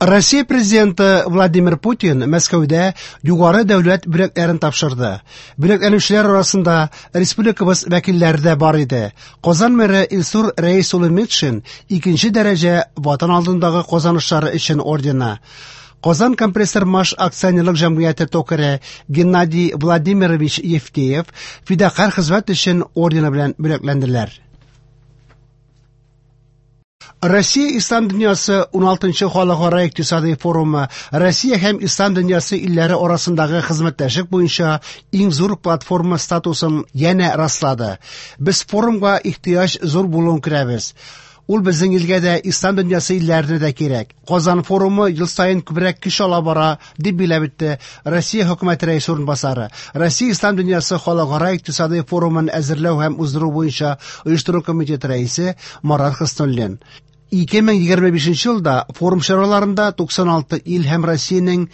Россия президенты Владимир Путин Мәскәүдә югары дәүләт бүләкләрен тапшырды. Бүләкләнүчеләр арасында республикабыз вәкилләре дә бар иде. Казан мэры Илсур Рәис улы Метшин икенче дәрәҗә Ватан алдындагы казанышлары өчен ордены. Казан компрессор маш акционерлык җәмгыяте токаре Геннадий Владимирович Евтеев фидакарь хезмәт өчен ордены белән бүләкләнделәр. Россия Ислам дөньясы 16нчы халыкара икътисади форумы Россия һәм Ислам дөньясы илләре арасындагы хезмәттәшлек буенча иң зур платформа статусын янә раслады. Без форумга ихтыяҗ зур булуын күрәбез. Ул безнең илгә дә, Ислам дөньясы илләренә дә кирәк. Казан форумы ел саен күбрәк көч ала бара, дип билгеләп үтте Россия хөкүмәте рәисе урынбасары, Россия Ислам дөньясы халыкара икътисади форумын әзерләү һәм уздыру буенча оештыру комитеты рәисе Марат Хөснуллин. 2025 елда форум чараларында 96 ил һәм Россиянең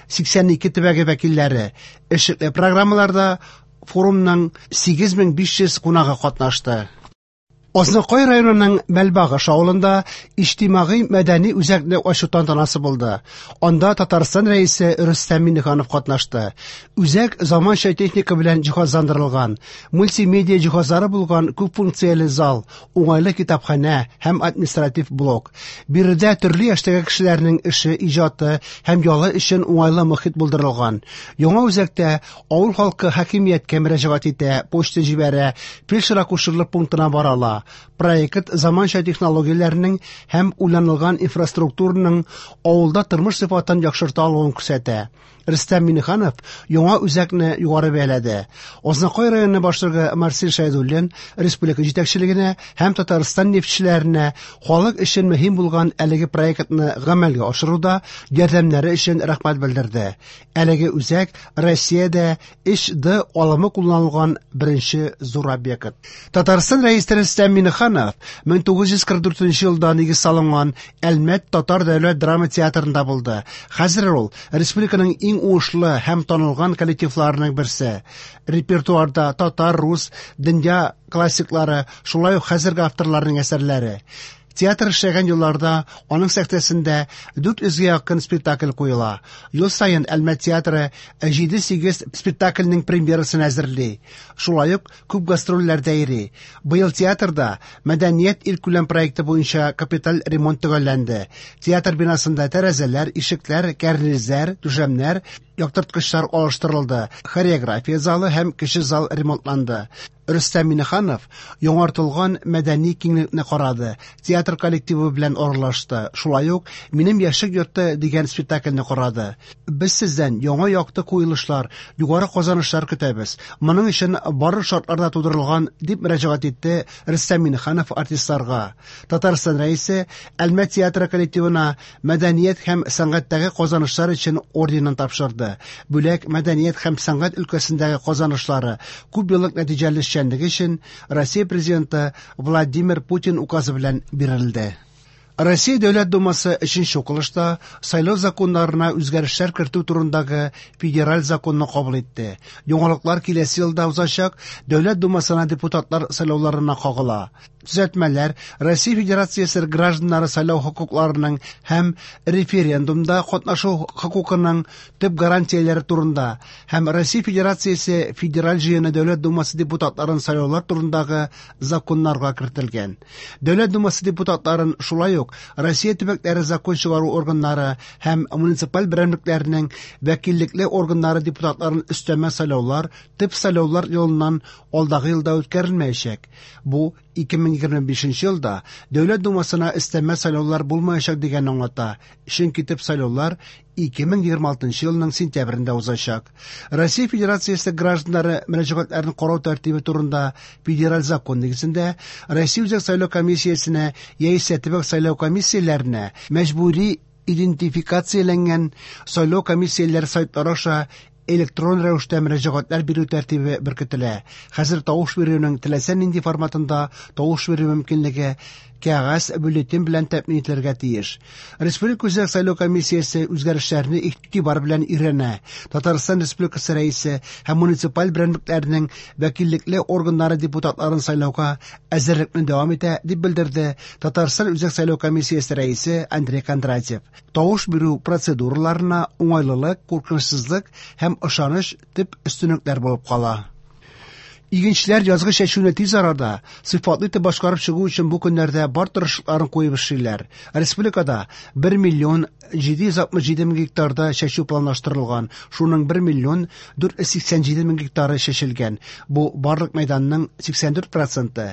82 төбәге вәкилләре эшлекле программаларда форумның 8500 кунагы катнашты. Азнакай районының Мәлбагыш авылында иҗтимагый мәдәни үзәкне ачу тантанасы булды. Анда Татарстан Рәисе Рөстәм Миңнеханов катнашты. Үзәк заманча техника белән җиһазландырылган, мультимедиа җиһазлары булган күп функцияле зал, уңайлы китапханә һәм административ блок. Биредә төрле яшьтәге кешеләрнең эше, иҗаты һәм ялы өчен уңайлы мохит булдырылган. Яңа үзәктә авыл халкы хакимияткә мөрәҗәгать итә, почта җибәрә, фельдшер-акушерлык пунктына бара ала. Проект заманча технологияләрнең һәм уйланылган инфраструктураның авылда тормыш сыйфатын яхшырта алуын күрсәтә. Рөстәм Миңнеханов яңа үзәкне югары бәяләде. Азнакай районы башлыгы Марсель Шәйдуллин республика җитәкчелегенә һәм Татарстан нефтьчеләренә халык өчен мөһим булган әлеге проектны гамәлгә ашыруда ярдәмнәре өчен рәхмәт белдерде. Әлеге үзәк Россиядә 3D алымы кулланылган беренче зур объект. Татарстан Рәисе Рөстәм Миңнеханов 1944 елда нигез салынган Әлмәт татар дәүләт драма театрында булды. Хәзер ул республиканың иң уңышлы һәм танылган коллективларының берсе. Репертуарда татар, рус, дөнья классиклары, шулай ук хәзерге авторларның әсәрләре. Театр эшләгән елларда аның сәхнәсендә 400 гә якын спектакль куела. Ел саен Әлмәт театры 7-8 спектакльнең премьерасын әзерли. Шулай ук күп гастрольләрдә йөри. Быел театрда Мәдәният илкүләм проекты буенча капиталь ремонт төгәлләнде. Театр бинасында тәрәзәләр, ишекләр, кәрнизләр, түшәмнәр, яктырткычлар алыштырылды. Хореография залы һәм кече зал ремонтланды. Рөстәм Миңнеханов яңартылган мәдәни киңлекне карады, театр коллективы белән аралашты, шулай ук Минем яшьлек йорты дигән спектакльне карады. Без сездән яңа якты куелышлар, югары казанышлар көтәбез. Моның өчен барлык шартлар да тудырылган, дип мөрәҗәгать итте Рөстәм Миңнеханов артистларга. Татарстан Рәисе Әлмәт театры коллективына мәдәният һәм сәнгатьтәге казанышлар өчен орденын тапшырды. Бүләк мәдәният һәм сәнгать өлкәсендәге казанышлары, күп еллык нәтиҗәле эшчәнлеге өчен Россия президенты Владимир Путин указы белән бирелде. Россия Дәүләт Думасы өченче укылышта сайлау законнарына үзгәрешләр кертү турындагы федераль законны кабул итте. Яңалыклар киләсе елда узачак Дәүләт Думасына депутатлар сайлауларына кагыла. Төзәтмәләр Россия Федерациясе гражданнары сайлау хокукларының һәм референдумда катнашу хокукының төп гарантияләре турында һәм Россия Федерациясе Федераль Җыены Дәүләт Думасы депутатларын сайлаулар турындагы законнарга кертелгән. Дәүләт Думасы депутатларын шулай ук Россия төбәкләре закон чыгару органнары һәм муниципаль берәмлекләренең вәкиллекле органнары депутатларын өстәмә сайлаулар төп сайлаулар елыннан алдагы елда үткәрелмәячәк. Бу 2025 елда Дәүләт Думасына өстәмә сайлаулар булмаячак дигәнне аңлата. Чөнки төп сайлаулар 2026 елның сентябрендә узачак. Россия Федерациясе гражданнары мөрәҗәгатьләрен карау тәртибе турында федераль закон нигезендә Россия Үзәк сайлау комиссиясенә яисә төбәк сайлау комиссияләренә мәҗбүри идентификацияләнгән сайлау комиссияләре сайтлары аша электрон рәвештә мөрәҗәгатьләр бирү тәртибе беркетелә. Хәзер тавыш бирүнең теләсә нинди форматында тавыш бирү мөмкинлеге кәгазь бюллетень белән тәэмин ителергә тиеш. Республика Үзәк сайлау комиссиясе үзгәрешләрне игътибар белән өйрәнә. Татарстан Республикасы Рәисе һәм муниципаль берәмлекләрнең вәкиллекле органнары депутатларын сайлауга әзерлекне дәвам итә, дип белдерде Татарстан Үзәк сайлау комиссиясе рәисе Андрей Кондратьев. Тавыш бирү процедураларына уңайлылык, куркынычсызлык һәм ышаныч төп өстенлекләр булып кала. Игенчеләр язгы чәчүне тиз арада, сыйфатлы итеп башкарып чыгу өчен бу көннәрдә бар тырышлыкларын куеп эшлиләр. Республикада 1 миллион 767 мең гектарда чәчү планлаштырылган, шуның 1 миллион 487 мең гектары чәчелгән. Бу барлык мәйданның 84 проценты.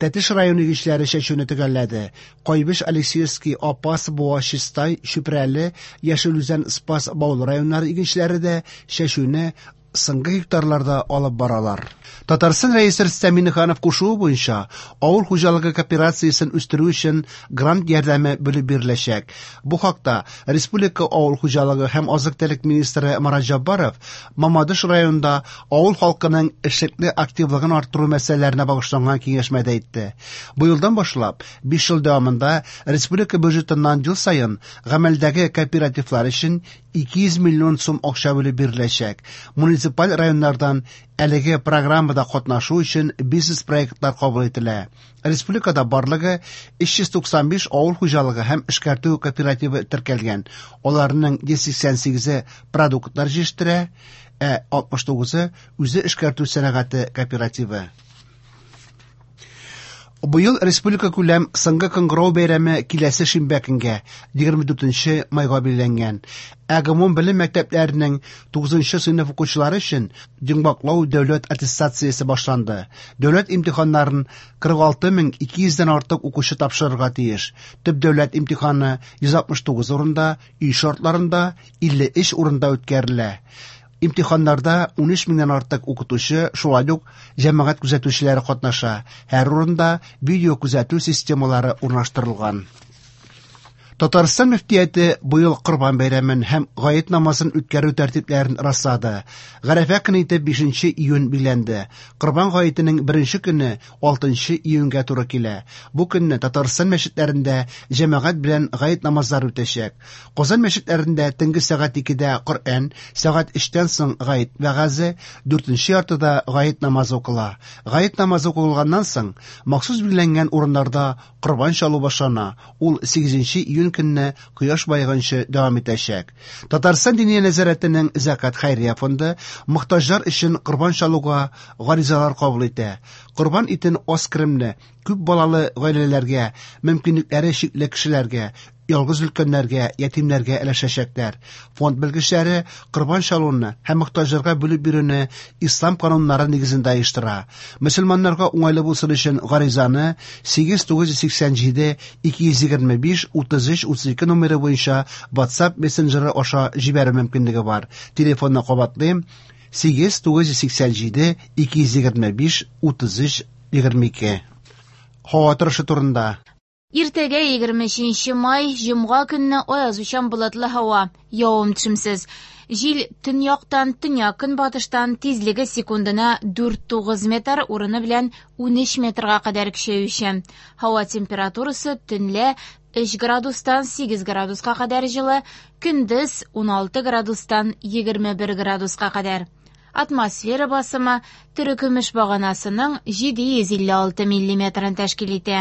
Тәтеш районы игенчеләре чәчүне төгәлләде. Кайбыч, Алексеевский, Апас, Буа, Чистай, Чүпрәле, Яшел Үзән, Спас, Баулы районнары игенчеләре дә чәчүне соңгы гектарларда алып баралар. Татарстан Рәисе Рөстәм Миңнеханов кушуы буенча авыл хуҗалыгы кооперациясен үстерү өчен грант ярдәме бүлеп биреләчәк. Бу хакта республика авыл хуҗалыгы һәм азык-төлек министры Марат Җаббаров Мамадыш районында авыл халкының эшлекле активлыгын арттыру мәсьәләләренә багышланган киңәшмәдә әйтте. Быелдан башлап 5 ел дәвамында республика бюджетыннан ел саен гамәлдәге кооперативлар өчен 200 миллион сум акча бүлеп биреләчәк. Муниципаль районнардан әлеге программада катнашу өчен бизнес-проектлар кабул ителә. Республикада барлыгы 395 авыл хуҗалыгы һәм эшкәртү кооперативы теркәлгән. Аларның 188-е продуктлар җитештерә, ә 69-ы үзе эшкәртү сәнәгате кооперативы. Быел республика күләм соңгы кыңгырау бәйрәме киләсе шимбә көнгә, 24 майга билгеләнгән. Ә гомум белем мәктәпләренең 9 сыйныф укучылары өчен йомгаклау дәүләт аттестациясе башланды. Дәүләт имтиханнарын 46200 дән артык укучы тапшырырга тиеш. Төп дәүләт имтиханы 169 урында, өй шартларында 53 урында үткәрелә. Имтиханнарда 13 меңнән артык укытучы, шулай ук җәмәгать күзәтүчеләре катнаша. Һәр урында видео күзәтү системалары урнаштырылган. Татарстан мөфтияте быел Корбан бәйрәмен һәм гает намазын үткәрү тәртипләрен раслады. Гарәфә көне итеп 5 июнь билгеләнде. Корбан гаетенең беренче көне 6 июньгә туры килә. Бу көнне Татарстан мәчетләрендә җәмәгать белән гает намазлары үтәчәк. Казан мәчетләрендә төнге сәгать 2дә Коръән, сәгать 3тән соң гает вәгазе, 4нче яртыда гает намазы укыла. Гает намазы укылганнан соң махсус билгеләнгән урыннарда корбан чалу башлана. Ул 8 июнь көнне кояш баеганчы дәвам итәчәк. Татарстан Диния нәзарәтенең Зәкат хәйрия фонды мохтаҗлар өчен корбан чалуга гаризалар кабул итә. Корбан итен аз керемле, күп балалы гаиләләргә, мөмкинлекләре чикле кешеләргә, ялгыз өлкәннәргә, ятимнәргә өләшәчәкләр. Фонд белгечләре корбан чалуны һәм мохтаҗларга бүлеп бирүне ислам кануннары нигезендә оештыра. Мөселманнарга уңайлы булсын өчен гаризаны 8987 225 33 32 номеры буенча WhatsApp мессенджеры аша җибәрү мөмкинлеге бар. Телефонны кабатлыйм: 8987 225 33 22. Һава торышы турында. Иртәгә 23 май, җомга көнне аязучан болытлы һава, явым-төшемсез. Җил төньяктан, төньяк-көнбатыштан тизлеге секундына 4-9 метр, урыны белән 13 метрга кадәр көчәючән. Һава температурасы төнлә 3 градустан 8 градуска кадәр җылы, көндез 16 градустан 21 градуска кадәр. Атмосфера басымы терекөмеш баганасының 756 миллиметрын тәшкил итә.